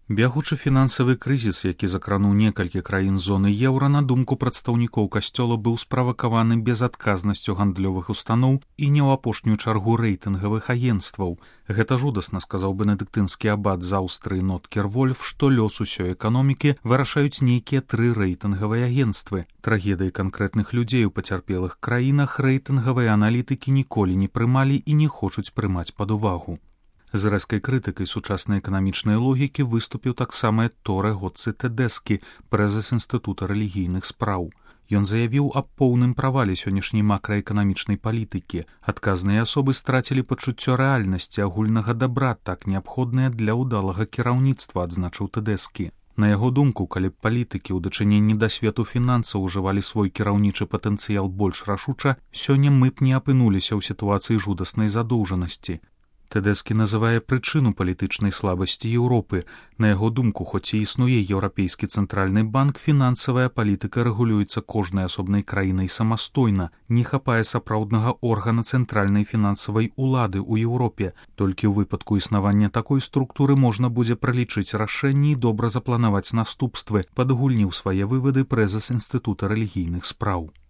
Бягучы фінансавы крызіс, які закрануў некалькі краін зоны еўра, на думку прадстаўнікоў касцёла, быў справакаваны безадказнасцю гандлёвых устаноў і не ў апошнюю чаргу рэйтынгавых агенцтваў. Гэта жудасна, сказаў бенедыктынскі абат з Аўстрыі Ноткер Вольф, што лёс усёй эканомікі вырашаюць нейкія 3 рэйтынгавыя агенцтвы. Трагедыі канкрэтных людзей у пацярпелых краінах рэйтынгавыя аналітыкі ніколі не прымалі і не хочуць прымаць пад увагу. З рэзкай крытыкай сучаснай эканамічнай логікі выступіў таксама Торе Гоцци Тэдэскі, прэзіс Інстытута рэлігійных спраў. Ён заявіў аб поўным правале сённяшняй макраэканамічнай палітыкі. Адказныя асобы страцілі пачуццё рэальнасці агульнага дабра, так неабходнае для ўдалага кіраўніцтва, адзначыў Тэдэскі. На яго думку, калі б палітыкі ў дачыненні да свету фінансаў ужывалі свой кіраўнічы патэнцыял больш рашуча, сёння мы б не апынуліся ў сітуацыі жудаснай задоўжанасці. Тэдэскі называе прычыну палітычнай слабасці Еўропы. На яго думку, хоць і існуе Еўрапейскі цэнтральны банк, фінансавая палітыка рэгулюецца кожнай асобнай краінай самастойна. Не хапае сапраўднага органа цэнтральнай фінансавай улады ў Еўропе. Толькі ў выпадку існавання такой структуры можна будзе пралічыць рашэнні і добра запланаваць наступствы, падгульніў свае вывады прэзіс Інстытута рэлігійных спраў.